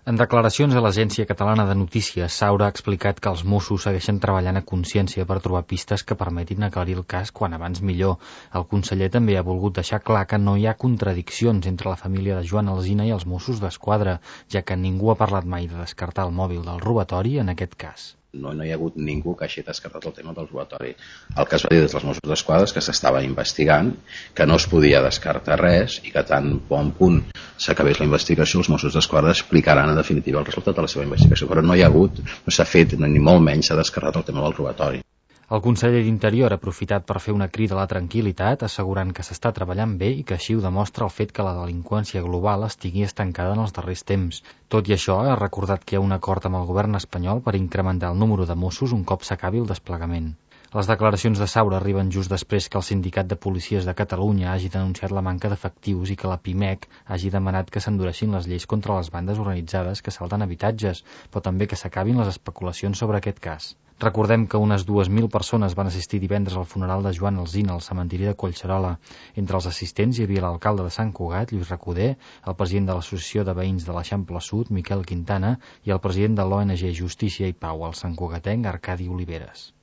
En declaracions a l'Agència Catalana de Notícies, Saura ha explicat que els Mossos segueixen treballant a consciència per trobar pistes que permetin aclarir el cas quan abans millor. El conseller també ha volgut deixar clar que no hi ha contradiccions entre la família de Joan Alsina i els Mossos d'Esquadra, ja que ningú ha parlat mai de descartar el mòbil del robatori en aquest cas. No hi ha hagut ningú que hagi descartat el tema del robatori. El que es va dir des dels Mossos d'Esquadra és que s'estava investigant, que no es podia descartar res i que tan bon punt s'acabés la investigació, els Mossos d'Esquadra explicaran en definitiva el resultat de la seva investigació. Però no s'ha fet, ni molt menys s'ha descartat el tema del robatori. El conseller d'Interior ha aprofitat per fer una crida a la tranquil·litat, assegurant que s'està treballant bé i que així ho demostra el fet que la delinqüència global estigui estancada en els darrers temps. Tot i això, ha recordat que hi ha un acord amb el govern espanyol per incrementar el número de Mossos un cop s'acabi el desplegament. Les declaracions de Saura arriben just després que el Sindicat de Policies de Catalunya hagi denunciat la manca d'efectius i que la PIMEC hagi demanat que s'endureixin les lleis contra les bandes organitzades que salten habitatges, però també que s'acabin les especulacions sobre aquest cas. Recordem que unes 2.000 persones van assistir divendres al funeral de Joan Alsina al cementiri de Collserola. Entre els assistents hi havia l'alcalde de Sant Cugat, Lluís Recoder, el president de l'Associació de Veïns de l'Eixample Sud, Miquel Quintana, i el president de l'ONG Justícia i Pau, el santcugatenc Arcadi Oliveres.